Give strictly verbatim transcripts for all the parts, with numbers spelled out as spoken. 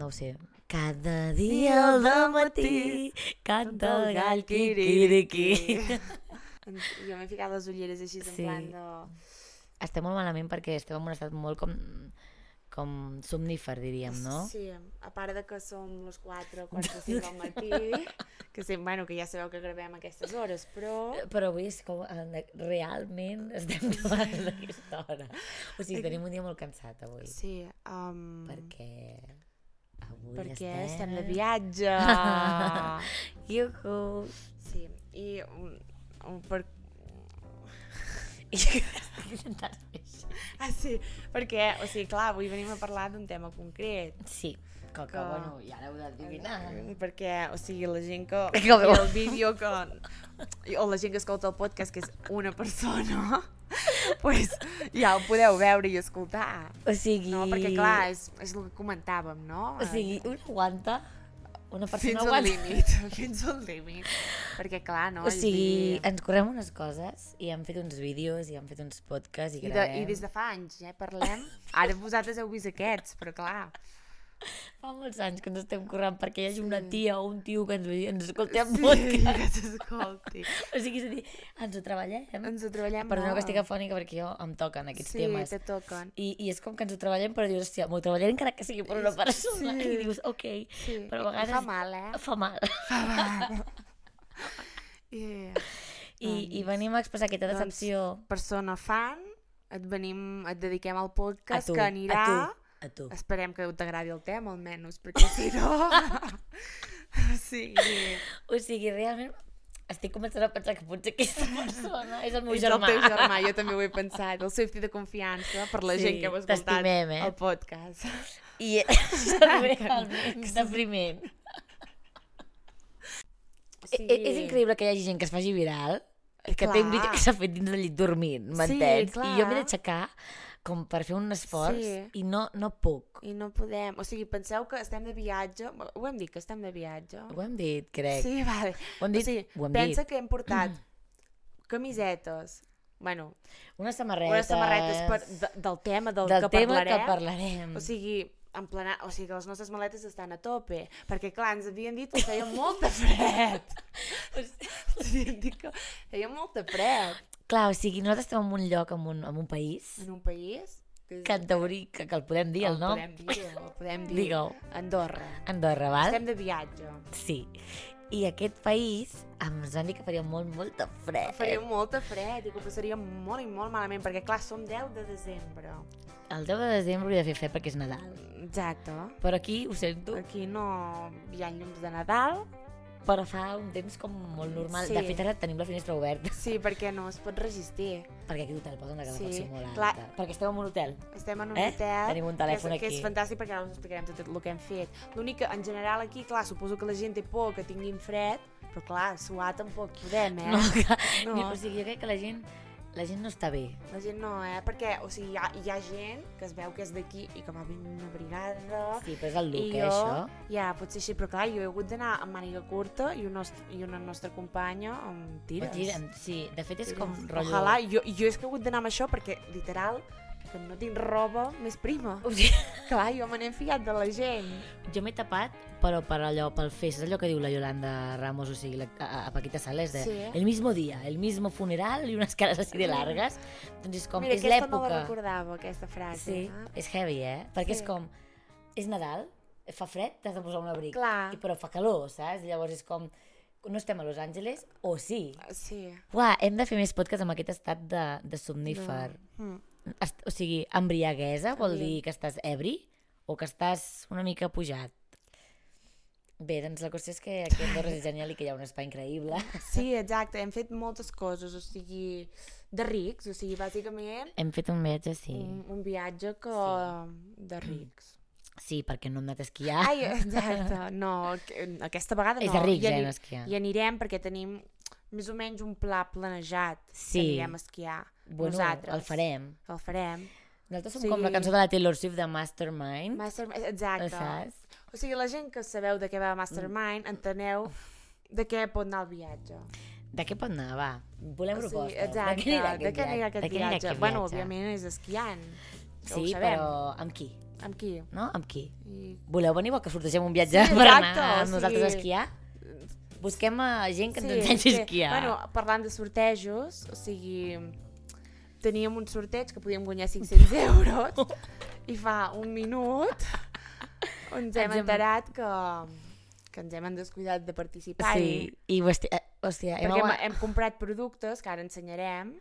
no ho sé. Cada dia al dematí canta el gall quiquiriqui. Jo m'he ficat les ulleres així en Sí. plan de... Estem molt malament perquè estem en un estat molt com, com somnífer, diríem, no? Sí, a part de que som les quatre, quatre o cinc del matí, que, sí, bueno, que ja sabeu que gravem a aquestes hores, però... Però avui és com, eh, realment estem gravant a aquesta hora. O sigui, tenim un dia molt cansat avui. Sí, um... Perquè avui perquè estem... estem de viatge. Iuhu! Sí, i... Um, um, per... I estic intentant fer així. Ah, sí, perquè, o sigui, clar, avui venim a parlar d'un tema concret. Sí, que, que, Que- bueno, ja l'heu d'adivinar. Perquè, o sigui, la gent que... Que veu. el vídeo que... o la gent que escolta el podcast, que és una persona, pues, ja ho podeu veure i escoltar. O sigui... No? Perquè, clar, és, és el que comentàvem, no? O sigui, un aguanta, una persona fins al aguanta... límit, fins al límit. Perquè, clar, no? O És sigui, dir- ens correm unes coses i hem fet uns vídeos i hem fet uns podcasts i I, de, gravem. I des de fa anys, eh, parlem. Ara vosaltres heu vist aquests, però clar... Fa molts anys que ens estem corrent perquè hi hagi una Sí. tia o un tio que ens, ens escolti en Sí, podcast. que s'escolti. O sigui, és a dir, ens ho treballem. Ens ho treballem Perdona molt. que estic afònica perquè jo em toquen aquests sí, temes. te toquen. I, I és com que ens ho treballem, però dius, hòstia, m'ho treballaré encara que sigui per una persona. Sí. I dius, ok, Sí. però a vegades... Fa mal, eh? Fa mal. Yeah. I, I venim a expressar aquesta Doncs, decepció Persona fan, et venim, et dediquem al a podcast tu, que anirà... a tu, a tu. Esperem que t'agradi el tema, almenys, perquè si no... sí. O sigui, realment estic començant a pensar que potser aquesta persona és el meu És germà. el teu germà, jo també ho he pensat, el safety de confiança per la Sí, gent que heu escoltat t'estimem, eh? el podcast. I és realment depriment. Sí. I, és increïble que hi hagi gent que es faci viral, que Clar. té un vídeo que s'ha fet dins del llit dormint, m'entens? clar. I jo m'he d'aixecar com per fer un esforç Sí. i no, no puc. I no podem... O sigui, penseu que estem de viatge... Ho hem dit, que estem de viatge? Ho hem dit, crec. Sí, vale. Ho hem dit, o sigui, ho hem pensa dit. que hem portat camisetes, bueno, Unes samarretes. unes samarretes per, de, del tema del, del que tema parlarem. que parlarem. O sigui, en plena, o sigui, que les nostres maletes estan a tope, perquè clar, ens havien dit que feia molt de fred. Ens havien dit que feia molt de fred Clar, o sigui, nosaltres estem en un lloc, en un, en un país, en un país que, és, que en teoria, que, que el podem dir, el nom. podem dir, el podem dir. Digue-ho. Andorra. Andorra, val? Estem de viatge. Sí. I aquest país ens van dir que faria molt, molt de fred. Faria molt de fred i que ho passaríem molt i molt malament, perquè clar, som deu de desembre. El deu de desembre hauria de fer fred perquè és Nadal. Exacte. Però aquí, ho sento, Aquí no hi ha llums de Nadal. però fa un temps com molt normal. Sí. De fet, ara tenim la finestra oberta. Sí, perquè no es pot resistir. Perquè aquí l'hotel posa una calefacció Sí, molt alta. clar. Perquè estem en un hotel. Estem en un Eh? hotel, Tenim un telèfon que és, que aquí. és fantàstic perquè ara us explicarem tot el que hem fet. L'únic que, en general, aquí, clar, suposo que la gent té por que tinguin fred, però clar, suar tampoc podem, eh? No, que, No. O sigui, jo crec que la gent, la gent no està bé. La gent no, eh? Perquè, o sigui, hi ha, hi ha gent que es veu que és d'aquí i que va ben una brigada... Sí, però és el look, I eh, jo, això. ja, potser així, però clar, jo he hagut d'anar amb màniga curta i, un nost i una nostra companya amb tires. O tira- Sí, de fet és Tires. com rotllo... Ojalà, jo, jo és que he hagut d'anar amb això perquè, literal, que no tinc roba més prima. O sigui, Clar, jo me n'he fiat de la gent. jo m'he tapat, però per allò, pel fes, és allò que diu la Yolanda Ramos, o sigui, la, a, a Paquita Sales, de Sí. el mismo dia, el mismo funeral i unes cares així de largues. Doncs és com, Mira, és aquesta no la l'època... recordava, aquesta frase. Sí, eh? és heavy, eh? Perquè Sí. és com, és Nadal, fa fred, t'has de posar un abric. Clar. I, però fa calor, saps? Llavors és com, no estem a Los Angeles, o sí. Sí. Uah, hem de fer més podcast amb aquest estat de, de somnífer. No. Mm. Est o sigui, embriaguesa vol Embri- dir que estàs ebri o que estàs una mica pujat. Bé, doncs la qüestió és que aquí a Andorra és genial i que hi ha un espai increïble. Sí, exacte, hem fet moltes coses, o sigui, de rics, o sigui, bàsicament Hem fet un viatge, sí. un, un viatge que... de rics. Sí, perquè no hem anat a esquiar. Ai, exacte, no, que- aquesta vegada no. És de rics, I eh, ani- no esquiar. I anirem perquè tenim més o menys un pla planejat Sí. que anirem a esquiar. Bueno, nosaltres. el farem. El farem. Nosaltres som Sí. com la cançó de la Taylor Swift de Mastermind. Master... Exacte. Saps? O sigui, la gent que sabeu de què va Mastermind, enteneu de què pot anar el viatge. De què pot anar, va? Volem O sigui, propostes. exacte, De què anirà aquest de què anirà viatge? aquest De què anirà viatge? aquest Bueno, viatge? òbviament és esquiant. que ho Sí, sabem. però amb qui? Amb qui? No? Amb qui? I... Voleu venir? Vol que sortegem un viatge Sí, per anar exacte, amb o sigui- nosaltres a esquiar? Busquem a gent que ens Sí, ensenyi a sí. esquiar. Bueno, parlant de sortejos, o sigui, teníem un sorteig que podíem guanyar cinc-cents euros i fa un minut ens hem Ens hem- enterat que, que ens hem descuidat de participar. Sí, i hòstia, eh, hòstia hem, Perquè hem, agua- hem comprat productes que ara ensenyarem.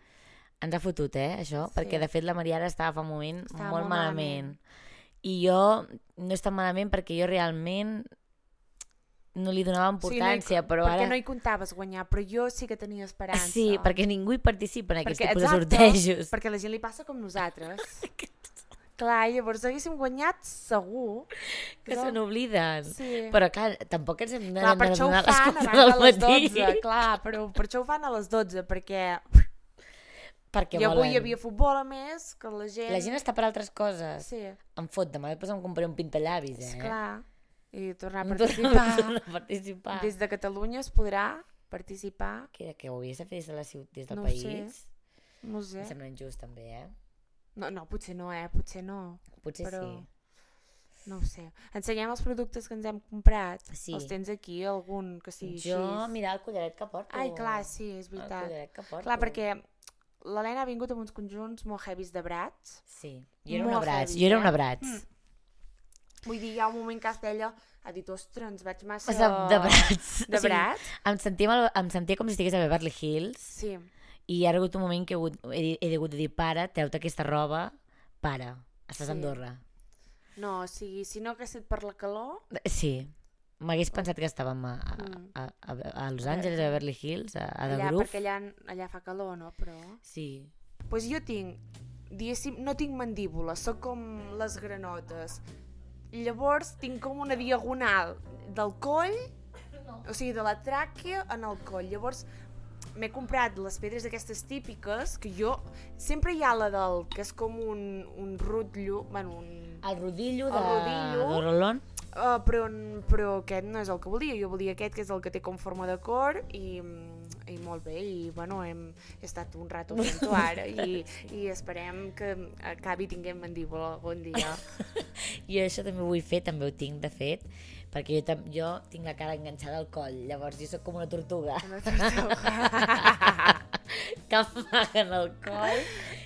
ens ha fotut, eh, això, Sí. perquè de fet la Maria ara estava fa un moment Estava molt, molt malament. malament. I jo no és tan malament perquè jo realment no li donava importància, no hi, però perquè ara... no hi comptaves guanyar, però jo sí que tenia esperança. Sí, perquè ningú hi participa en aquests Perquè- tipus exacte, de sortejos. Perquè a la gent li passa com nosaltres. Clar, llavors haguéssim guanyat segur. Que però- se n'obliden. Sí. Però clar, tampoc ens hem de, Clar, per de això ho donar les fan quatre abans de les del matí. dotze, clar, però per això ho fan a les dotze, perquè Perquè i avui volen. hi havia futbol a més, que la gent... La gent està per altres coses. Sí, Em fot, demà després em compraré un pintallavis, eh? esclar. I tornar a Em torna- participar. torna a participar. Des de Catalunya es podrà participar. Que era que ho havies de fer des, de la ciutat, des del No ho país? sé. No ho sé. Em sembla injust, també, eh? No, no, potser no, eh? Potser no. Potser Però- sí. No ho sé. Ensenyem els productes que ens hem comprat. Sí. Els tens aquí, algun que sigui Jo, així. mira el collaret que porto. Ai, clar, sí, és El veritat. collaret que porto. Clar, perquè l'Helena ha vingut amb uns conjunts molt heavies de brats. Sí. Jo era Molt una brats. heavy, Jo era eh? una brats. Mm. Vull dir, hi ha un moment que hasta ella ha dit, ostres, ens vaig massa... De, de brats. De O sigui, brats? em, sentia, mal- em sentia com si estigués a Beverly Hills Sí. i ha hagut un moment que he, hagut, he, he hagut de dir, pare, treu-te aquesta roba, pare, estàs Sí. a Andorra. No, o sigui, si no hagués estat per la calor... Sí, m'hagués pensat que estàvem a, a, Mm. a, a, a Los Angeles, a Beverly Hills, a, a The allà, Groove. perquè allà, allà fa calor, no? Però... Sí. Pues jo tinc, diguéssim, no tinc mandíbula, sóc com les granotes. Llavors tinc com una diagonal del coll, No. o sigui, de la tràquea en el coll. Llavors m'he comprat les pedres aquestes típiques, que jo... Sempre hi ha la del... que és com un, un rutllo, bueno, un... El rodillo El de, rodillo. de Rolón. Uh, però, però aquest no és el que volia, jo volia aquest que és el que té com forma de cor i, i molt bé, i bueno, hem he estat un rato fent-ho ara i, i esperem que acabi tinguem mandíbula algun dia. I això també ho vull fer, també ho tinc de fet, perquè jo, tam- jo tinc la cara enganxada al coll, llavors jo sóc com una tortuga Una tortuga. que amaguen el coll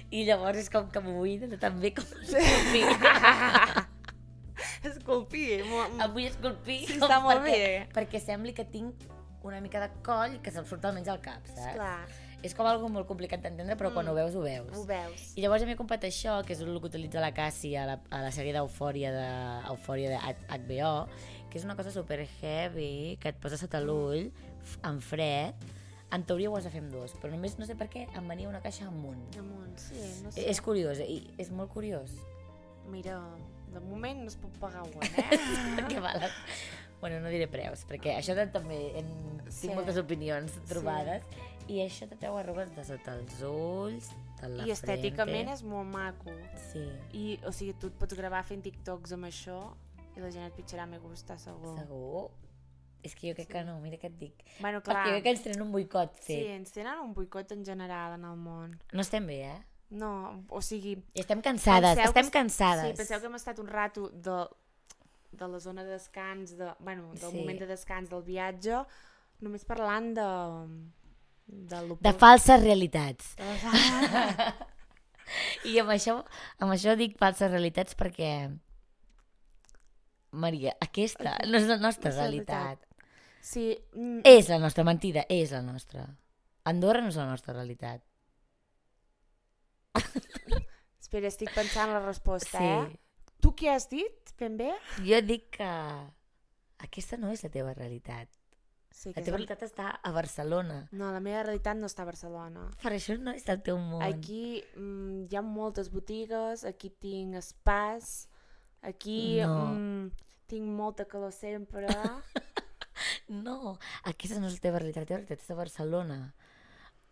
i llavors és com que m'ho vull de també com Esculpir. mo- em vull esculpir Sí, com està molt perquè, bé. perquè sembli que tinc una mica de coll que se'm surt almenys al cap, saps? Clar, És com algo molt complicat d'entendre, però quan Mm. ho veus, ho veus. ho veus. I llavors ja m'he comprat això, que és el que utilitza la Cassie a la, a la sèrie d'Eufòria de, Eufòria de H B O, que és una cosa super heavy, que et posa sota l'ull, f- en fred. En teoria ho has de fer amb dos, però només no sé per què em venia una caixa amunt. Amunt, sí, no sé. És curiós, i és molt curiós. Mira, de moment no es pot pagar un, eh? Perquè val... Bueno, no diré preus, perquè això de, també en... Sí. tinc moltes opinions trobades, i això te treu arrugues de sota els ulls, de la I estèticament frente. és molt maco. Sí, I, o sigui, tu et pots gravar fent TikToks amb això i la gent et pitjarà me gusta, segur. segur. És que jo crec que no, mira què et dic. Bueno, Perquè clar, jo crec que ens tenen un boicot sí, fet. ens tenen un boicot en general en el món. No estem bé, eh? No, o sigui... I estem cansades, penseu estem que- cansades. Sí, penseu que hem estat un rato de, de la zona de descans, de, bueno, del Sí. moment de descans del viatge, només parlant de... De, lo De po- falses realitats. de les- I amb això, amb això dic falses realitats perquè, Maria, aquesta no és la nostra No és la realitat. Sí, mm, És la nostra mentida, és la nostra. Andorra no és la nostra realitat. espera, estic pensant la resposta, Sí. eh? Tu què has dit, ben bé? Jo dic que aquesta no és la teva realitat. Sí, La és teva el- realitat està a Barcelona. No, la meva realitat no està a Barcelona. Per això no és el teu món. Aquí mm, hi ha moltes botigues, aquí tinc espais, aquí No. mm, tinc molta calor sempre. No, aquesta no és la teva realitat, la teva realitat és a Barcelona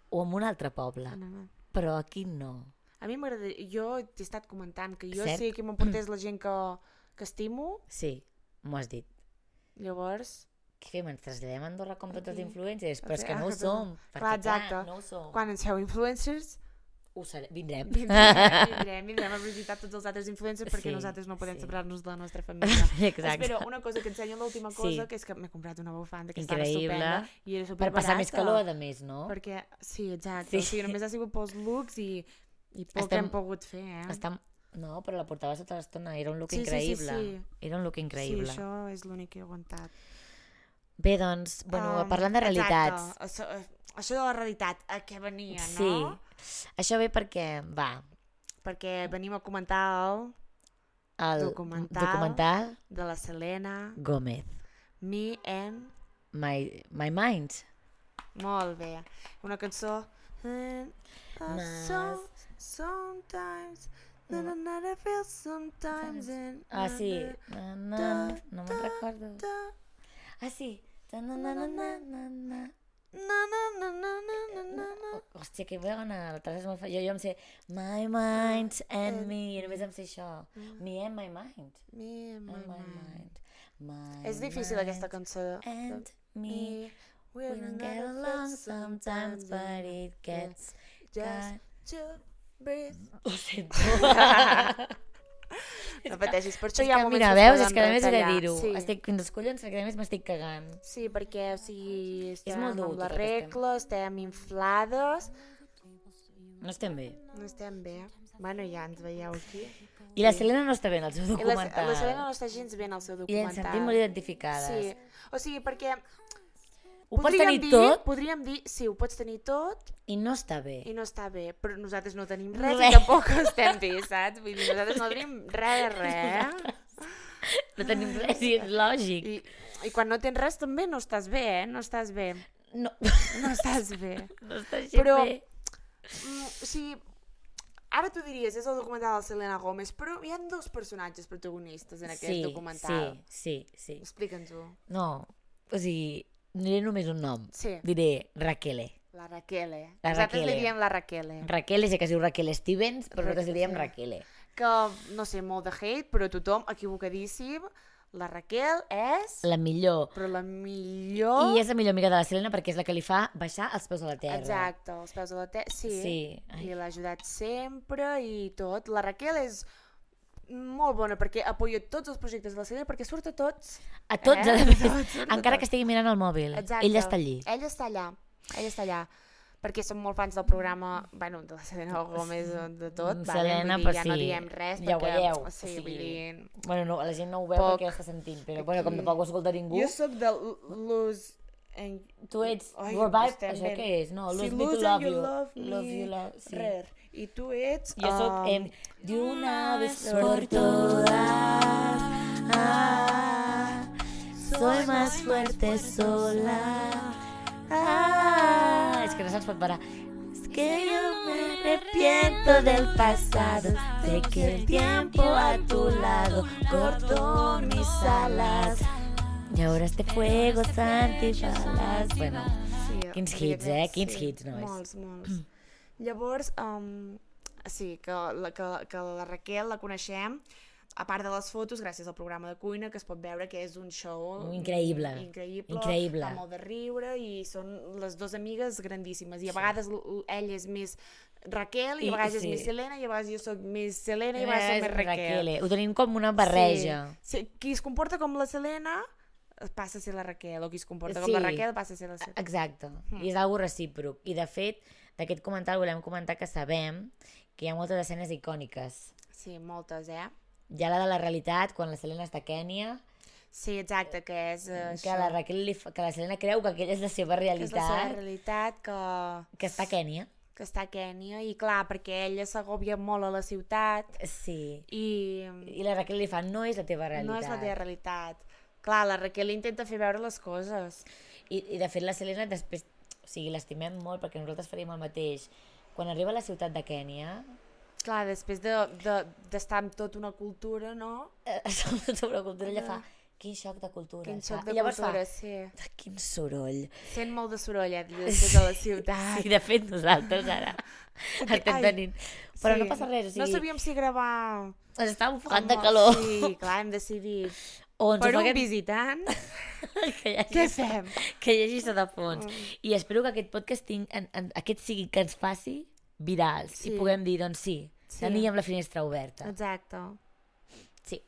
o en un altre poble, No, no. però aquí no. A mi m'agradaria... Jo t'he estat comentant que jo Cert. sé que m'emportés la gent que, que estimo, Sí, m'ho has dit. llavors, Què fem? Ens traslladem a Andorra com tots els Aquí. influencers? Però és Sí, que no ho ah, som. clar, Perquè, clar, exacte. no ho som. quan ens feu influencers, Ho seré. Vindrem. Vindrem, vindrem, vindrem a visitar tots els altres influencers perquè Sí, nosaltres no podem sí. separar-nos de la nostra família. Exacte. Espera, una cosa que ensenyo l'última cosa, Sí. que és que m'he comprat una bufanda que està Increïble. estupenda i era Per superbarata. passar més calor, a més, no? Perquè, sí, exacte. Sí. O sigui, només ha sigut pels looks i, i poc Estem- hem pogut fer, eh? Està... No, però la portava tota l'estona, era un look Sí, sí, sí, increïble. sí. Era un look increïble. Sí, això és l'únic que he aguantat. Bé, doncs, bueno, Um, parlant de realitats. Exacte. Això, això de la realitat, a què venia, no? Sí. Això ve perquè, va, Perquè venim a comentar el el Documental. documental de la Selena, Gómez, Me and... My, My Mind. Molt bé. Una cançó... And a Mas- song, sometimes, na na na na feel sometimes and... Ah, sí. na, Na, na, da, no me'n recordo. da, Ah, sí. Na, na, na, na, na, na, na. na na na na na na na na. Hòstia, que bona. La Teresa és molt fa... Jo, jo em sé My Mind and Me. I només em sé això. Me and My Mind. Me and my And my mind. mind. My És difícil mind aquesta cançó. And me. Me, We don't get along sometimes, but it gets... Just to breathe. Ho sento. No pateixis, per això És hi ha que, moments mira, que es veus, poden és que a més he de retallar. dir-ho. Sí. Estic fins als collons perquè a més m'estic cagant. Sí, perquè o sigui, estem molt dur amb tot la el que estem. regla, estem inflades, No estem bé. no estem bé. Bueno, ja ens veieu aquí. I la Selena no està bé en el seu I la, documental. la Selena no està gens bé en el seu I ens documental. sentim molt identificades. Sí, o sigui, perquè Ho pots podríem tenir dir, tot podríem dir, sí, ho pots tenir tot i no està bé. i no està bé, però nosaltres no tenim res, Res. i tampoc estem bé, saps? Vull dir, nosaltres no tenim res de res. No tenim res i és lògic. I, I quan no tens res també no estàs bé, eh? No estàs bé. No, No estàs bé. no està així Però- bé. Mm, o sigui, ara tu diries, és el documental de Selena Gomez, però hi ha dos personatges protagonistes en aquest Sí, documental. sí, sí, sí. Explica'ns-ho. No, o sigui, no diré només un nom. Sí, Diré Raquele. la Raquele. La Nosaltres Raquele. li diem la Raquele. Raquele, sé que es diu Raquel Stevens, però nosaltres li diem Sí. Raquele. Que, no sé, molt de hate, però tothom equivocadíssim. La Raquel és... La millor. Però la millor... I és la millor amiga de la Selena perquè és la que li fa baixar els peus a la terra. Exacte, els peus de la terra. Sí. Sí. Ai. I l'ha ajudat sempre i tot. La Raquel és molt bona perquè apoya tots els projectes de la Selena perquè surt a tots. A tots, Eh? a més, Tots, surt a encara tots. que estigui mirant el mòbil. Exacte. Ella està allí. Ella està allà. Ella està allà. Perquè som molt fans del programa, bueno, de la Selena Gomez, de tot. Selena, vale? Vull dir, pues ja no sí. diem res Ja ho perquè... veieu, Sí, o sigui, vull dir... Bueno, no, la gent no ho veu Poc. perquè està sentint, però bueno, com Aquí. tampoc ho escolta ningú. Jo sóc de Lose... En... Tu ets Ai, Revive, estem això ben- què és? No, Sí, Lose Me to Lose and Love You You. Love Love Me. You Love, sí. Rer. I tu ets... Jo soc um, en De una vez por todas, ah, soy más fuerte sola. Ah, és que no se'ns pot parar. Es que yo me arrepiento del pasado, sé que el tiempo a tu lado cortó mis alas. Y ahora este fuego santibalas. Bueno, Sí, quins vull dir hits, que eh? Quins sí, hits, nois. Molts, molts. Llavors, um, sí, que la, que, que la Raquel la coneixem, a part de les fotos, gràcies al programa de cuina, que es pot veure que és un show Increïble. increïble, Increïble. fa molt de riure i són les dues amigues grandíssimes i a vegades l- l- ell és més Raquel i, I- a vegades sí. és més Selena i a vegades jo soc més Selena i a vegades soc més Raquel. Ho tenim com una barreja. Sí. Sí, qui es comporta com la Selena passa a ser la Raquel, o qui es comporta com Sí. la Raquel passa a ser la Selena. Exacte. I és algo recíproc. I de fet, d'aquest comental volem comentar que sabem que hi ha moltes escenes icòniques. Sí, moltes, eh? Hi ha la de la realitat, quan la Selena està a Kènia, Sí, exacte, que és uh, que la, Raquel li fa, que la Selena creu que aquella és la seva que és la seva realitat, realitat que, que està a Kènia. que està a Kènia i clar, perquè ella s'agòbia molt a la ciutat Sí. i I la Raquel li fa, no és la teva realitat. no és la teva realitat. Clar, la Raquel intenta fer veure les coses. I, I de fet la Selena després, o sigui, l'estimem molt perquè nosaltres faríem el mateix. Quan arriba a la ciutat de Kènia, Clar, després d'estar de, de, amb tota una cultura, no? eh, sobre la cultura, ella fa, quin xoc de cultura. Quin saps? xoc de I llavors cultura, fa, sí. "Ah, quin soroll. Sent molt de soroll, eh, des de la ciutat. Sí, de fet nosaltres ara estem Ai, tenint. Però sí. no passa res, o No sigui, sabíem si gravar... ens estàvem ofegant de amb- calor. Sí, clar, hem decidit. O ens Per un ofeguem- visitant, que hi hagi, què fem? que hi hagi sota fons. I espero que aquest podcast ting, en, en, aquest sigui que ens faci virals Sí. i puguem dir, doncs sí, Sí. teníem la finestra oberta. Exacte. Sí.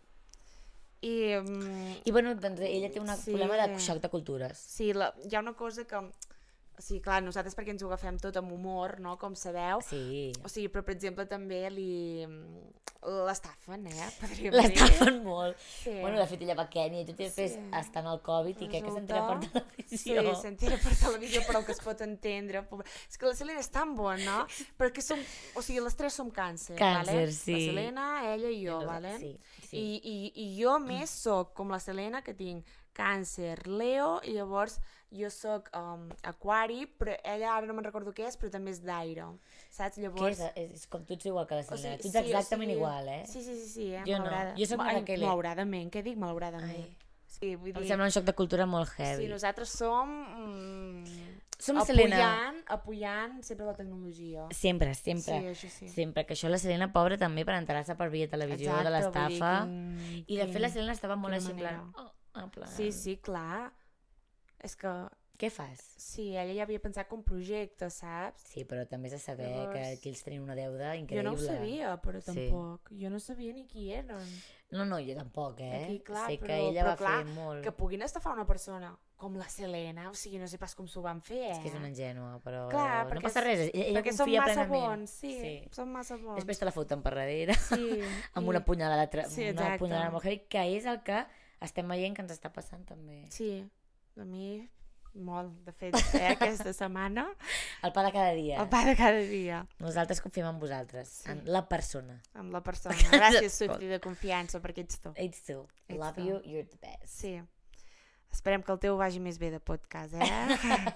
I, um, I bueno, doncs ella té un Sí. problema de xoc de cultures. sí, la, hi ha una cosa que... O sigui, clar, nosaltres perquè ens ho agafem tot amb humor, no?, com sabeu. Sí. O sigui, però per exemple també li... l'estafen, eh? Podríem dir. L'estafen molt. Sí. Bueno, de fet, ella va a Kènia i tot i després Sí. està en el Covid i crec que Resulta- s'entera per Sí, televisió. s'entera per televisió, però el que es pot entendre... pobre- És que la Selena és tan bona, perquè som... O sigui, les tres som càncer, Càncer, vale? sí. La Selena, ella i jo, No, vale? sí, sí. I, i, I jo més soc com la Selena, que tinc càncer, Leo, i llavors jo soc um, aquari, però ella ara no me'n recordo què és, però també és d'aire, saps? Què Llavors... és? és? És com tu ets igual que la O Selena. sigui, tu ets sí, o exactament sigui, igual, eh? Sí, sí, sí, sí, eh? Jo no. Malaurada- Jo soc la Ai, Raquel. malauradament, què dic malauradament? Ai. Sí, vull Em dir... sembla un xoc de cultura molt heavy. Sí, nosaltres som... Mm, Som la Selena. apoyant, apoyant sempre la tecnologia. Sempre, sempre. Sí, això sí. Sempre, que això la Selena, pobra, també per enterar-se per via televisió Exacte, de l'estafa. vull dir, quin- I de fet quin- la Selena estava molt quina així en plan... manera. Oh, en plan... Sí, sí, clar. És que, Què fas? sí, ella ja havia pensat com projecte, saps? Sí, però també has de saber Llavors- que aquí ells tenien una deuda Jo increïble. no ho sabia, però Sí. tampoc. Jo no sabia ni qui eren. No, no, jo tampoc, eh? Aquí, clar, sé que però- ella però va clar, fer molt... Que puguin estafar una persona com la Selena, o sigui, no sé pas com s'ho van fer, eh? És que és una ingènua, però Clar, no perquè passa és- res, ella, ella Perquè són confia massa plenament. bons, sí, Sí. són massa bons. Després te la foten per darrere, Sí, amb i- una punyalada, tra... Sí, una exacte. punyalada molt heavy, que és el que estem veient que ens està passant també. Sí, a mi molt, de fet, eh, aquesta setmana, El pa de cada dia. el pa de cada dia, Nosaltres confiem en vosaltres, Sí. en la persona. amb la persona. Gràcies, Swiftie, de confiança, perquè ets tu. Ets tu. Ets Love tu. you, you're the best. Sí. Esperem que el teu vagi més bé de podcast, eh?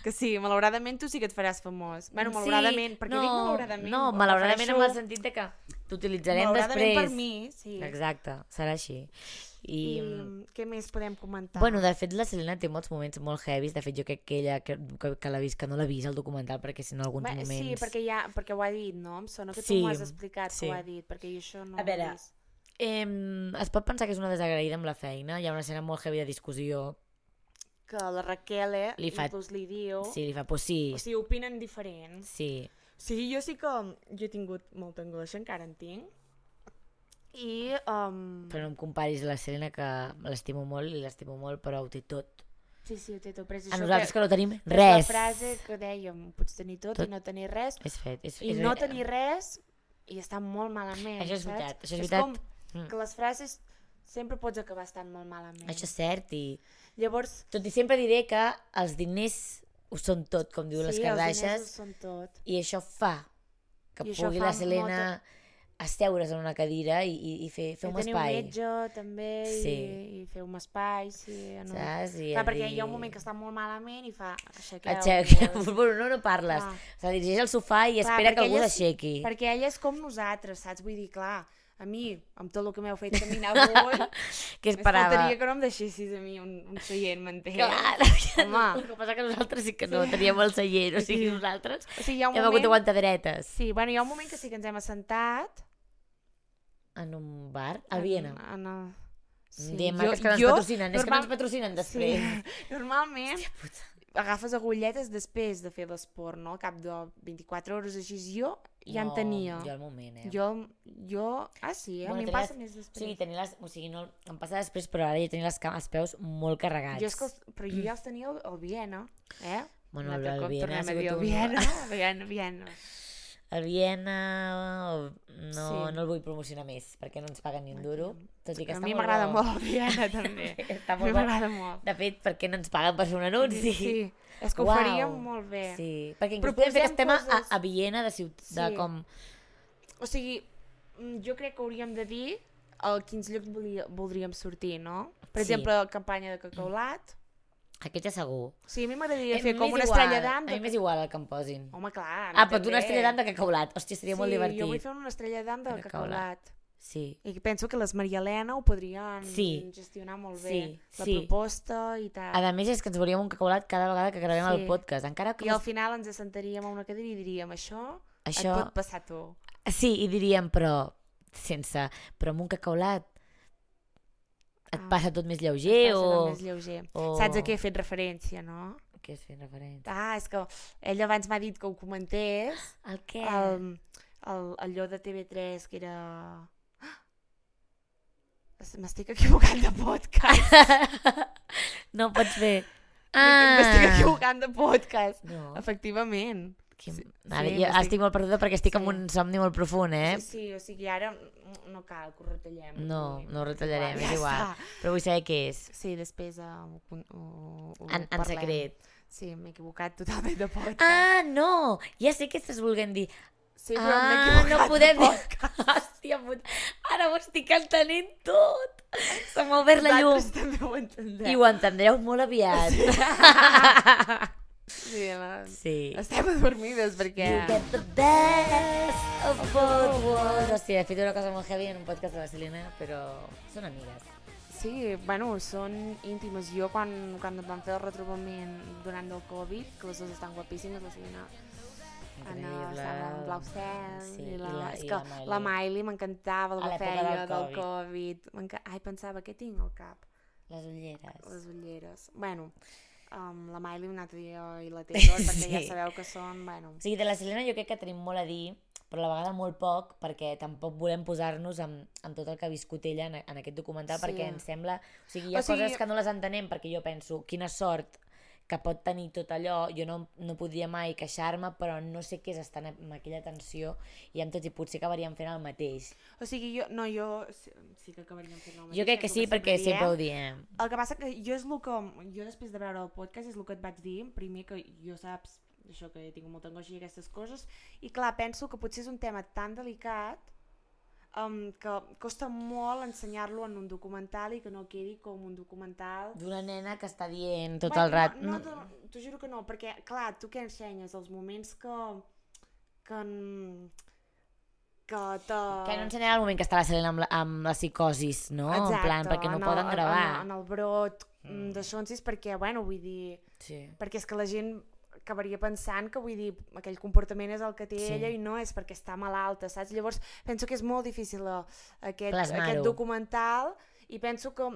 Que sí, malauradament tu sí que et faràs famós. Bueno, malauradament, perquè no, dic malauradament. No, ho malauradament en el refereixo- sentit de que t'utilitzarem malauradament després. per mi, sí. Exacte, serà així. I, I què més podem comentar? bueno, de fet, la Selena té molts moments molt heavis. De fet, jo crec que ella, que, que, que l'ha vist, que no l'ha vist, el documental, perquè si no, alguns Bé, moments... sí, perquè, ja, perquè ho ha dit, no? Em sona que tu Sí, m'ho has explicat sí. que ho ha dit, perquè jo això no A veure, ho he vist. Eh, es pot pensar que és una desagraïda amb la feina. Hi ha una escena molt heavy de discussió. Que la Raquel eh, Li fa- inclús li diu... Sí, li fa, pues sí, O sigui, opinen diferent. sí. O sigui, jo sí que jo he tingut molta angoixa, encara en tinc. I... Um, Però no em comparis a la Selena, que l'estimo molt i l'estimo molt, però ho té tot. Sí, sí, ho té tot. Però és A això nosaltres que no tenim és res. la frase que dèiem, pots tenir tot, Tot. i no tenir res. És fet. És, I és, no tenir res i estar molt malament, Això és saps? veritat, això és és veritat. com Mm. que les frases sempre pots acabar estant molt malament. Això és cert i... Llavors, Tot i sempre diré que els diners ho són tot, com diuen les sí, els diners ho Kardashians, són tot. i això fa que I això pugui fa la Selena asseure's en una cadira i, i, i fer, fer I un tenir espai. un metge també Sí. i, i fer un espai, sí. No. Saps? I Clar, a perquè dir- hi ha un moment que està molt malament i fa aixequeu. Aixeca, bueno, no, no parles. Clar. O sigui, dirigeix al sofà i Clar, espera que perquè algú ella és- l'aixequi. Perquè ella és com nosaltres, saps? Vull dir, clar, a mi, amb tot el que m'heu fet caminar avui, Què més esperava? faltaria que no em deixessis a mi un, un seient, m'entens? Clar, Home. el que passa que nosaltres sí que no teníem el seient, o sigui, Sí. nosaltres O sigui, hi ha un hem hagut moment... d'aguantar dretes. Sí, bueno, hi ha un moment que sí que ens hem assentat... En un bar, a Viena. En, en el... Sí. Diem que és que no ens patrocinen, és que no ens patrocinen després. Sí, normalment Hòstia puta. agafes agulletes després de fer l'esport, no? Al cap de vint-i-quatre hores així, jo ja en No, tenia. Jo al moment, eh? Jo, jo... Ah, sí, a Bueno, mi em tenir passa les- més O després. sigui, tenir les, o sigui, no, em passa després, però ara ja tenia les, ca- els peus molt carregats. Jo és que els, però jo ja els tenia al, al Viena, eh? Bueno, Un el, altre el cop Viena ha tornem a dir sigut el un... Viena, Viena, Viena. El Viena no, Sí. no el vull promocionar més, perquè no ens paguen ni un duro, tot i que A està mi molt m'agrada bo. molt el Viena, també. Està A mi molt bo. m'agrada molt. De fet, perquè no ens paguen per fer un anunci. Sí, és que ho Uau. faríem molt bé. Sí, perquè inclús Proposem podem fer que estem a, coses- a Viena de, ciut... de Sí. com... O sigui, mm, jo crec que hauríem de dir a quins llocs volia, voldríem sortir, no? Per Sí. exemple, la campanya de Cacaulat. Aquest ja segur. Sí, a mi m'agradaria Eh, fer com m'és una igual, estrella d'am. A mi De... m'és igual el que em posin. Home, clar. a mi Ah, però tu una també. estrella d'am de cacaulat. Hòstia, seria sí, molt divertit. jo vull fer una estrella d'am de De Cacaulat. Cacaulat. Sí. I penso que les Maria Helena ho podrien Sí. gestionar molt bé. Sí, La sí. proposta i tal. A més és que ens veuríem un cacaulat cada vegada que gravem Sí. el podcast. Encara que... I al final ens assentaríem a una cadira i diríem, això, Això- et pot passar a tu. Sí, i diríem, però sense... Però amb un cacaulat et Ah. passa tot més Et lleuger passa o... tot més lleuger. o... Saps a què he fet referència, no? què és fent referència? Ah, és que ell abans m'ha dit que ho comentés. El què? El, el, allò de T V tres, que era... M'estic equivocant de podcast. No ho pots fer. Ah. M'estic equivocant de podcast. No. Efectivament. Quin... Sí, Ara, sí, jo estic... estic molt perduda perquè estic Sí. amb un somni molt profund, eh? Sí, sí, o sigui, ara no cal que ho retallem. No, Vull dir, no ho retallarem, ja és igual. està. Però vull saber què és. Sí, després uh, ho, ho, ho En, en parlem. secret. Sí, m'he equivocat totalment de podcast. Ah, no! Ja sé què estàs volent dir. sí, però m'he Ah, equivocat no podem de dir... podcast. Hòstia puta, ara ho estic entenent tot. Se m'ha obert la llum. Vosaltres també ho entendreu. I ho entendreu molt aviat. Sí, la... Sí. estem adormides perquè... You get the best of both worlds. Hòstia, he fet una cosa molt heavy en un podcast de la Selena, però són amigues. Sí, bueno, són íntimes. Jo quan, quan vam fer el retrobament durant el Covid, que les dues estan guapíssimes, la Selena Anna estava en blau cel, Sí, i la, i la- és i que la Miley. la Miley m'encantava el A que l'època feia del del Covid. Covid. M'enca- Ai, pensava, què tinc al cap? Les ulleres. Les ulleres. Bueno, um, la Miley un altre dia i la Taylor, perquè Sí. ja sabeu que són, bueno... O sigui, de la Selena jo crec que tenim molt a dir, però a la vegada molt poc, perquè tampoc volem posar-nos amb, amb tot el que ha viscut ella en, en aquest documental, Sí. perquè ens sembla... O sigui, hi ha O sigui- coses que no les entenem, perquè jo penso, quina sort que pot tenir tot allò, jo no, no podria mai queixar-me, però no sé què és estar amb aquella tensió i amb tots, i potser acabaríem fent el mateix. O sigui, jo, no, jo sí, sí que acabaríem fent el mateix. Jo crec que és el sí, perquè diem. sempre ho diem. El que passa que jo és el que... Jo després de veure el podcast és el que et vaig dir, primer que jo saps això que tinc molta angoixa i aquestes coses, i clar, penso que potser és un tema tan delicat um, que costa molt ensenyar-lo en un documental i que no quedi com un documental... D'una nena que està dient tot Bueno, el rat... No, no, no, t'ho juro que no, perquè clar, tu què ensenyes? Els moments que... que... en- que te... Que no ensenyarà el moment que està la Selena amb la, amb la psicosis, no? Exacte, en plan, perquè no en ho poden el, gravar. En, en el brot Mm. mm. de Sonsis, perquè, bueno, vull dir... Sí. Perquè és que la gent acabaria pensant que, vull dir, aquell comportament és el que té Sí. ella i no és perquè està malalta, saps? Llavors penso que és molt difícil eh, aquest, Plasmar-ho. aquest documental i penso que...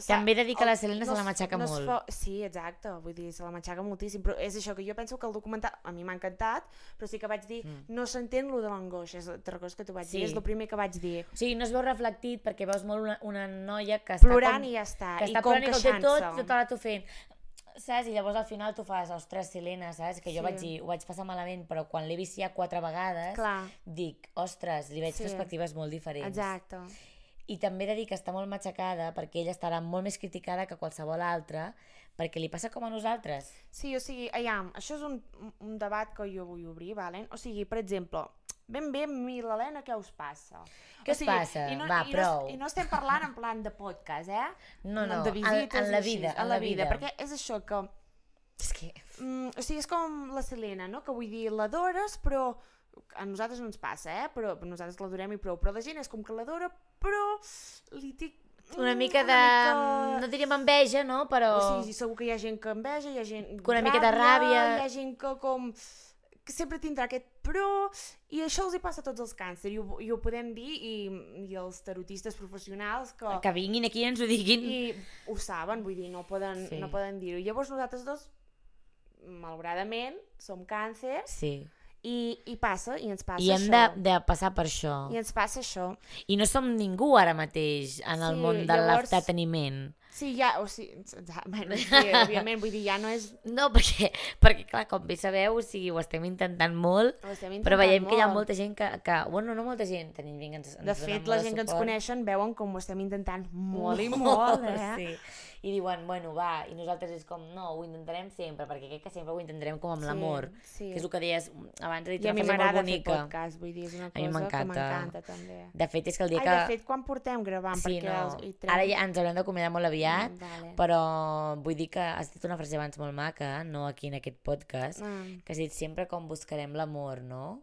També he de dir que el- la Selena se la es- matxaca es molt. fa- Sí, exacte, vull dir, se la matxaca moltíssim, però és això, que jo penso que el documental, a mi m'ha encantat, però sí que vaig dir, Mm. no s'entén lo de l'angoixa, és altra cosa que t'ho vaig Sí. dir, és el primer que vaig dir. O sigui, no es veu reflectit perquè veus molt una, una noia que està Plorant com, i ja està, que i està com plorant i que ho té tot, queixant-se. tota la tu fent, saps? I llavors al final tu fas, ostres, Selena, saps? Que jo Sí. vaig dir, ho vaig passar malament, però quan l'he vist ja quatre vegades, Clar, dic, ostres, li veig Sí. perspectives molt diferents. exacte. I també he de dir que està molt matxacada perquè ella estarà molt més criticada que qualsevol altra, perquè li passa com a nosaltres. Sí, o sigui, aviam, això és un, un debat que jo vull obrir, valen? O sigui, per exemple, ben bé, a mi i l'Helena, què us passa? Què o us passa? I no, Va, i prou. No, I no estem parlant en plan de podcast, eh? No, no, de en, visites en la i així, vida, en la vida. Perquè és això que... És que... Mm, o sigui, és com la Selena, no? Que vull dir, l'adores, però... A nosaltres no ens passa, eh? Però nosaltres l'adorem i prou. Però la gent és com que l'adora, però li té... Una mm, mica de... mica- No diríem enveja, no? Però... O sigui, segur que hi ha gent que enveja, hi ha gent Que una miqueta ràbia. hi ha gent que com que sempre tindrà aquest però, i això els hi passa a tots els càncer, i ho, i ho podem dir, i, i els tarotistes professionals que, Que vinguin aquí i ens ho diguin. i ho saben, vull dir, no poden, Sí. no poden dir-ho. Llavors nosaltres dos, malauradament, som càncer, Sí. i, i passa, i ens passa I hem això. de, de passar per això. I ens passa això. I no som ningú ara mateix en el Sí, món de llavors- l'entreteniment. Sí, ja, o sigui, ja, bueno, sí, òbviament, vull dir, ja no és... No, perquè, perquè clar, com bé sabeu, o sigui, ho estem intentant molt, Ho estem però intentant veiem que hi ha molt. molta gent que, que... Bueno, no molta gent, tenim gent que ens, ens De dona fet, molt la de gent que ens suport. coneixen veuen com ho estem intentant molt i molt, eh? Sí. I diuen, bueno, va, i nosaltres és com, no, ho intentarem sempre, perquè crec que sempre ho intentarem com amb Sí, l'amor, sí. que és el que deies abans, he dit I a una mi frase molt m'agrada fer bonica. podcast, vull dir, és una A mi cosa que m'encanta. m'encanta també. De fet, és que el dia Ai, que... de fet, quan portem gravant? sí, perquè no, els, hi trem... ara ja ens haurem d'acomiadar molt aviat, Mm, vale. però vull dir que has dit una frase abans molt maca, no aquí en aquest podcast, Mm. que has dit sempre com buscarem l'amor, no?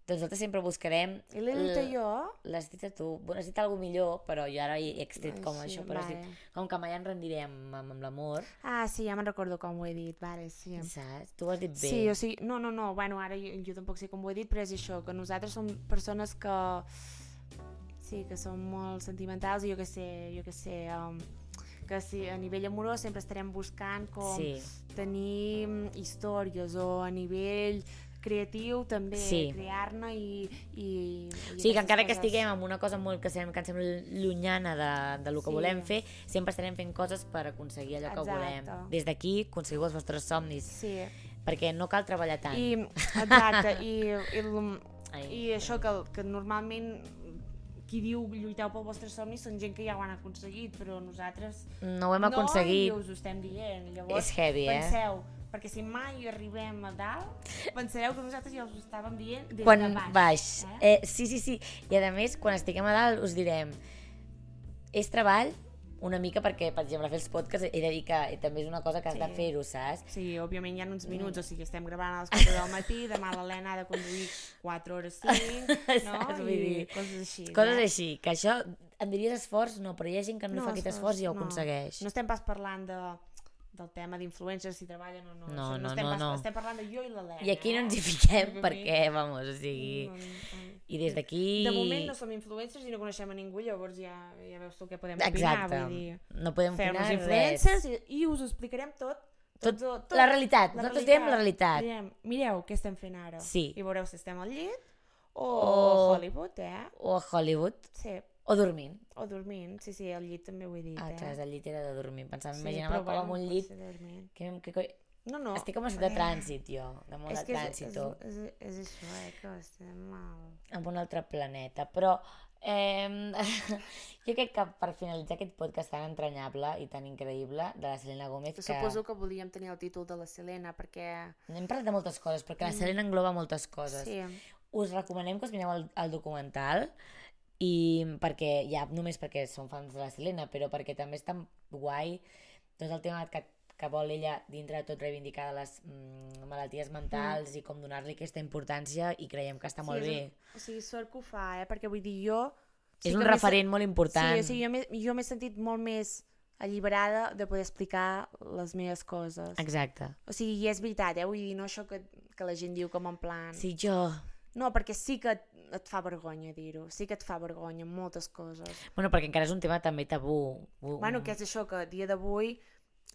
Doncs nosaltres sempre buscarem... I l'he dit l- jo? L'has dit a tu. Bueno, has dit alguna millor, però jo ara he extret com Ai, sí, això, però has vale. dit com que mai ens rendirem amb, amb l'amor, Ah, sí, ja me'n recordo com ho he dit, vale, sí. saps? Tu ho has dit bé. Sí, o sigui, no, no, no, bueno, ara jo, jo tampoc sé com ho he dit, però és això, que nosaltres som persones que... Sí, que som molt sentimentals i jo que sé, jo que sé... Um, que si a nivell amorós sempre estarem buscant com Sí. tenir històries, o a nivell creatiu també, Sí. crear-ne i, i, i O sigui, que aquestes encara que coses. estiguem en una cosa molt que, sem que ens sembla llunyana de, de lo que Sí. volem fer, sempre estarem fent coses per aconseguir allò que Exacte. volem. Des d'aquí, aconseguiu els vostres somnis, Sí, perquè no cal treballar tant. i, exacte, i, i, l- Ai. i això que, que normalment qui diu lluiteu pel vostre somni són gent que ja ho han aconseguit, però nosaltres No ho hem no, aconseguit. i us ho estem dient. Llavors, És heavy, eh? penseu, perquè si mai arribem a dalt, pensareu que nosaltres ja us ho estàvem dient des Quan de baix. baix. Eh? Eh, sí, sí, sí. I a més, quan estiguem a dalt us direm és treball una mica perquè, per exemple, fer els podcasts he de dir que també és una cosa que has Sí. de fer-ho, saps? Sí, òbviament hi ha uns minuts, o sigui, estem gravant a les quatre del matí, demà l'Helena ha de conduir quatre hores cinc, no? Saps? Vull I dir, coses així. Coses eh? així, que això em diries esforç, no, però hi ha gent que no, no fa aquest esforç i ho no. aconsegueix. No estem pas parlant de, del tema d'influencers, si treballen o no. No, Això no, estem no, pas, no. Estem parlant de jo i l'Helena. I aquí no ens hi eh? fiquem Òbviament. perquè, vamos, o sigui... No, no. I des d'aquí... De moment no som influencers i no coneixem a ningú, llavors ja, ja veus tu què podem Exacte. opinar. Vull dir, No podem fer-nos opinar influencers res. i, i us ho explicarem tot. Tot, tot, tot la realitat. la Nosaltres realitat. diem la realitat. Direm, mireu què estem fent ara. Sí. I veureu si estem al llit o O- a Hollywood, eh? O a Hollywood. Sí, O dormint. o dormint. Sí, sí, al llit també ho he dit, Ah, eh? clar, el llit era de dormir. Pensava, Sí, imaginava però com amb bueno, un pot llit... ser dormint. Que, que, que... No, no. Estic com a de eh, trànsit, jo. De molt és de que és, trànsit. és, o és, és això, eh, que estem mal. en un altre planeta. Però eh, jo crec que per finalitzar aquest podcast tan entranyable i tan increïble de la Selena Gómez, que Suposo que volíem tenir el títol de la Selena perquè... hem parlat de moltes coses, perquè la Selena engloba moltes coses. Sí, Us recomanem que us mireu el, el documental, i perquè ja només perquè som fans de la Selena, però perquè també és tan guai tot el tema que, que vol ella dintre de tot reivindicar de les mm, malalties mentals mm. i com donar-li aquesta importància, i creiem que està sí, molt és bé. un- o sigui, sort que ho fa, eh? Perquè vull dir, jo... És sí un que m'he referent molt important. Sí, o sigui, jo m'he- jo m'he sentit molt més alliberada de poder explicar les meves coses. Exacte. O sigui, i és veritat, eh? Vull dir, no això que, que la gent diu com en plan... Sí, jo... No, perquè sí que et, et fa vergonya dir-ho, sí que et fa vergonya moltes coses. Bueno, perquè encara és un tema també tabú. Bu- Bueno, que és això, que a dia d'avui,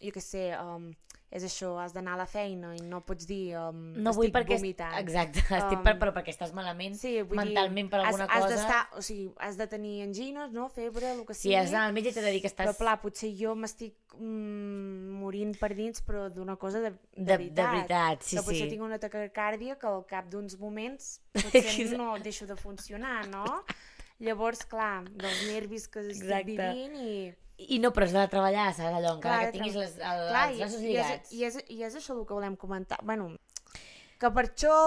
jo què sé, um, és això, has d'anar a la feina i no pots dir um, No vull estic perquè... vomitant. Exacte, estic Um, per, però perquè estàs malament Sí, vull mentalment dir, per alguna has, has cosa. d'estar, o sigui, has de tenir angines, no? Febre, el que Si sigui. has d'anar al metge t'he de dir que estàs... Però clar, potser jo m'estic mm, morint per dins, però d'una cosa de, de, de, veritat. de veritat, sí, que potser sí. tinc una taquicàrdia que al cap d'uns moments potser no deixo de funcionar, no? Llavors, clar, dels nervis que estic Exacte. vivint i... I no, però has de treballar, saps? Allò, encara Clar, que tinguis les, el, Clar, els braços i, lligats. i, és, i, és, I és això el que volem comentar. Bueno, que per això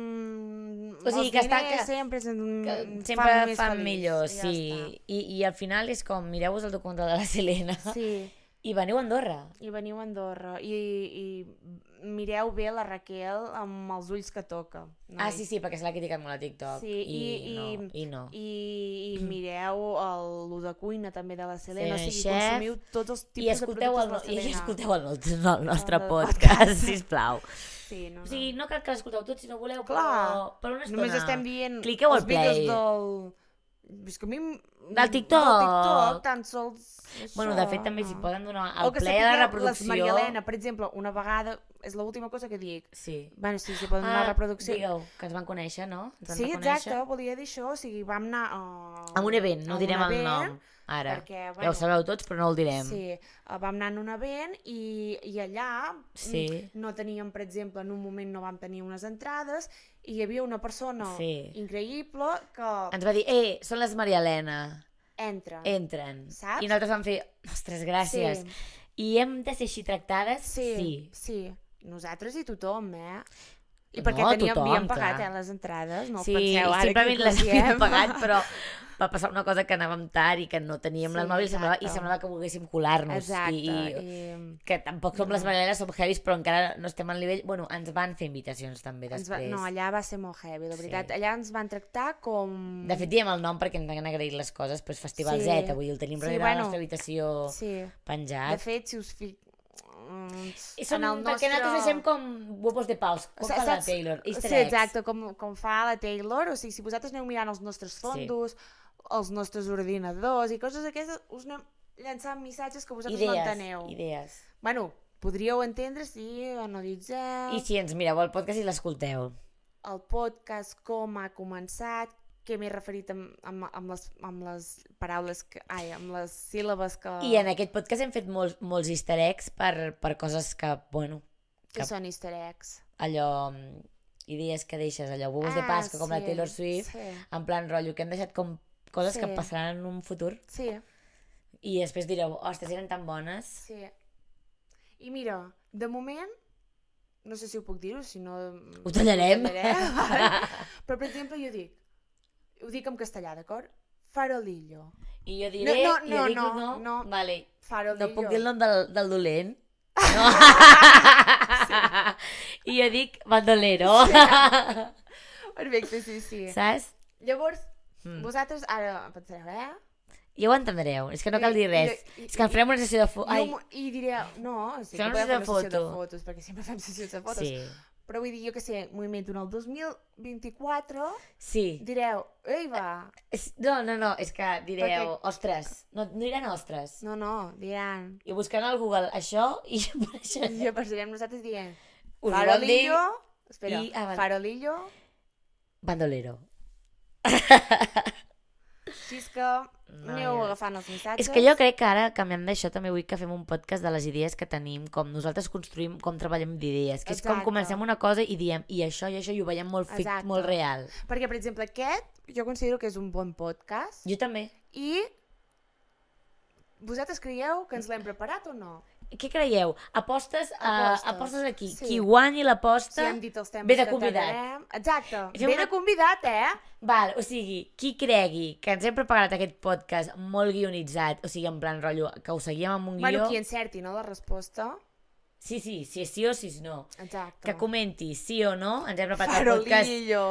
mm, O sigui, els que està- diners que- sempre, ens, Que ens sempre fan, fan, més fan feliç, millor, i ja sí. està. I, I al final és com, mireu-vos el documental de la Selena Sí, i veniu a Andorra. i veniu a Andorra i, i mireu bé la Raquel amb els ulls que toca. Noi. Ah, sí, sí, perquè se l'ha criticat molt a TikTok. Sí, i, no, i, i no. I, i mireu el, lo de cuina també de la Selena, o Selena sigui, Chef. consumiu tots els I tipus de escolteu el, productes de i la Selena. escolteu el, el, el nostre El podcast, podcast. sisplau. Sí, no, no. O sigui, no cal que l'escolteu tot si no voleu, Clar, però per una estona. només estem dient Cliqueu al els vídeos play. del... És que a mi... m- Del TikTok. Del TikTok, tan sols... Això, Bueno, de fet, també no. s'hi poden donar O el que play a la sapigueu, reproducció. Les Maria Elena, per exemple, una vegada... És l'última cosa que dic. Sí. Bueno, sí, s'hi poden donar Ah, reproducció. digueu, que ens van conèixer, no? Ens van Sí, reconèixer. exacte, volia dir això. O sigui, vam anar... A, A un event, no a un direm el event, nom, ara. Perquè, Ja ho sabeu tots, però no el direm. Sí, eh, vam anar en un event i, i allà Sí. mm, no teníem, per exemple, en un moment no vam tenir unes entrades i hi havia una persona Sí. increïble que Ens va dir, eh, són les Maria Elena, entra. entren. Saps? I nosaltres vam fer, ostres, gràcies. Sí. I hem de ser així tractades? Sí, Sí. sí. Nosaltres i tothom, eh? I No, perquè teníem, tothom, havíem pagat clar. eh, les entrades, no Sí, penseu ara simplement que les havíem diem. pagat, però va passar una cosa que anàvem tard i que no teníem Sí, les mòbils i semblava, i exacte. semblava que volguéssim colar-nos. Exacte. I, i, I... que tampoc som les Maria Elena, som heavies, però encara no estem al nivell... Bueno, ens van fer invitacions també Ens va, després. no, allà va ser molt heavy, la veritat. Sí. Allà ens van tractar com... De fet, diem el nom perquè ens han agraït les coses, però és Festival Sí. Z, vull dir, el tenim Sí, darrere bueno, la nostra habitació Sí. De penjat. fet, si us fic... mm, I som, en el perquè nostre... nosaltres deixem com huevos de paus, com fa la Saps? Taylor, easter Sí, eggs. exacte, com, com fa la Taylor, o sigui, si vosaltres aneu mirant els nostres fondos, els nostres ordinadors i coses d'aquestes, us anem llançant missatges que vosaltres idees, no enteneu. Idees. Bueno, podríeu entendre si analitzeu... I si ens mireu el podcast i l'escolteu. El podcast, com ha començat, què m'he referit amb, amb, amb, les, amb les paraules, que, ai, amb les síl·labes que... I en aquest podcast hem fet molts, molts easter eggs per, per coses que, bueno... Que són easter eggs? Allò, idees que deixes, allò, bobos ah, de Pasqua, com sí, la Taylor Swift, sí. En plan rotllo, que hem deixat com coses sí. Que passaran en un futur. Sí. I després direu, ostres, eren tan bones. Sí. I mira, de moment, no sé si ho puc dir-ho, si no... Ho tallarem. Ho tallarem. Però, per exemple, jo dic, ho dic en castellà, d'acord? Farolillo. I jo diré, no, no, i jo dic no, no, no, vale. Farolillo. No puc dir el nom del, del dolent. No. Sí. I jo dic bandolero. Sí. Perfecte, sí, sí. Saps? Llavors, mm. vosaltres ara pensareu, eh? Ja ho entendreu, és que no cal dir res. I, i, és que en farem una sessió de fotos. I, I direu, no, sí que fem podem fer una foto. sessió de fotos, perquè sempre fem sessions de fotos. Sí. Però vull dir, jo que sé, moviment en el dos mil vint-i-quatre, sí. Direu, ei va. No, no, no, és que direu, perquè... ostres, no, no diran ostres. No, no, diran. I buscant al Google això i apareixerem. I apareixerem nosaltres dient, us farolillo, espera, i... ah, farolillo, bandolero. Si és que no, aneu ja. Agafant els missatges. És que jo crec que ara, canviant d'això, també vull que fem un podcast de les idees que tenim, com nosaltres construïm, com treballem d'idees, que Exacte. És com comencem una cosa i diem, i això i això, i ho veiem molt fic, molt real. Perquè, per exemple, aquest, jo considero que és un bon podcast. Jo també. I vosaltres creieu que ens l'hem preparat o no? Què creieu? Apostes, apostes. Uh, apostes aquí. Sí. Qui guanyi l'aposta, sí, hem dit els temes ve de convidat. Exacte, ve una... de convidat, eh? Val, o sigui, qui cregui que ens hem preparat aquest podcast molt guionitzat, o sigui, en plan rotllo, que ho seguíem amb un guió... Bueno, qui encerti, no?, la resposta... Sí, sí, si és sí o si és no. Exacte. Que comenti sí o no, ens hem preparat el podcast... Farolillo.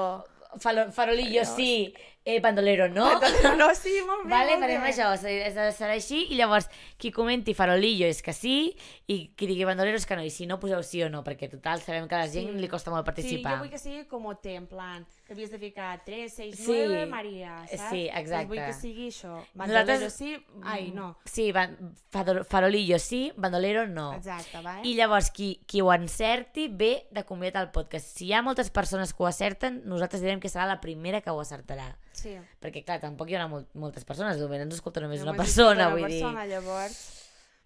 Falo, farolillo sí, eh, bandolero no. Bandolero no, sí, molt bé. Vale, molt farem bé. això, serà així, i llavors qui comenti farolillo és que sí, i qui digui bandolero és que no, i si no poseu sí o no, perquè total sabem que a la gent sí. Li costa molt participar. Sí, jo vull que sigui com té, en plan, que havies de ficar tres, seis, nueve, sí. Maria, saps? Sí, exacte. Doncs vull que sigui això. Bandolero Nosaltres... sí, ai, no. Sí, ban... farolillo sí, bandolero no. Exacte, vale. I llavors qui, qui ho encerti ve de convidat al podcast. Si hi ha moltes persones que ho acerten, nosaltres direm que serà la primera que ho acertarà. Sí. Perquè, clar, tampoc hi haurà molt, moltes persones, només ens escolta només una persona, una vull persona, dir. Llavors,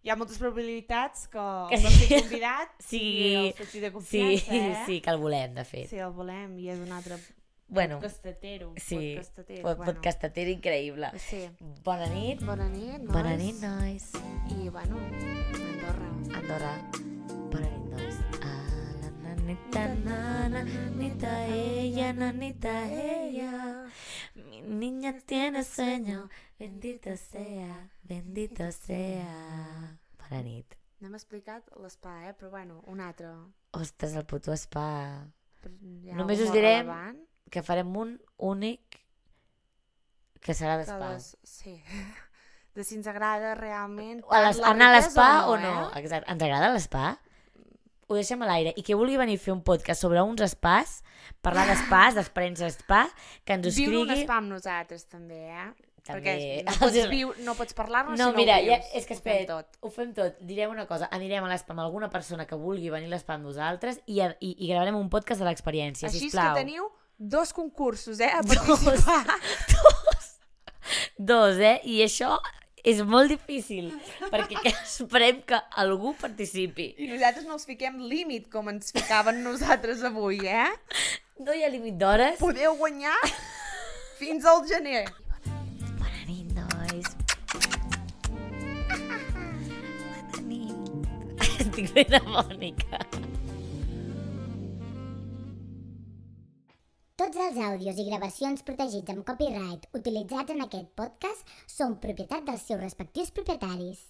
hi ha moltes probabilitats que, que el sí. Convidat sigui el soci de confiança, sí, eh? Sí, que el volem, de fet. Sí, el volem, i és un altre bueno, podcastatero. Sí, podcastatero, pod bueno. podcastatero increïble. Sí. Bona nit. Bona nit, nois. Bona nit, nois. I, bueno, Andorra. Andorra. Bona nit, nois. Nanita, nana, nanita ella, nanita ella. Mi niña tiene sueño, bendito sea, bendito sea. Bona nit. No hem explicat l'espa, eh? Però bueno, un altre. Ostres, el puto spa. Ja només us direm relevant. Que farem un únic que serà d'espa. Les... Sí. De si ens agrada realment a les, anar a l'espa o no, o no eh? Exacte. Ens agrada l'espa? Ho deixem a l'aire. I qui vulgui venir a fer un podcast sobre uns espàs, parlar d'espàs, d'experiències d'espa, que ens ho escrigui... Viure un espa amb nosaltres, també, eh? També. Perquè no pots, viu... no pots parlar-nos no, si no mira, ho vius. Ja, és que espera, ho fem tot. Direm una cosa, anirem a l'espa amb alguna persona que vulgui venir a l'espa amb nosaltres i, i, i gravarem un podcast de l'experiència, sisplau. Així és que teniu dos concursos, eh? A participar. Dos. Dos. Dos, eh? I això... És molt difícil, perquè esperem que algú participi. I nosaltres no els fiquem límit, com ens ficaven nosaltres avui, eh? No hi ha límit d'hores. Podeu guanyar fins al gener. Bona nit, nois. Bona nit. Estic ben amònica. Tots els àudios i gravacions protegits amb copyright utilitzats en aquest podcast són propietat dels seus respectius propietaris.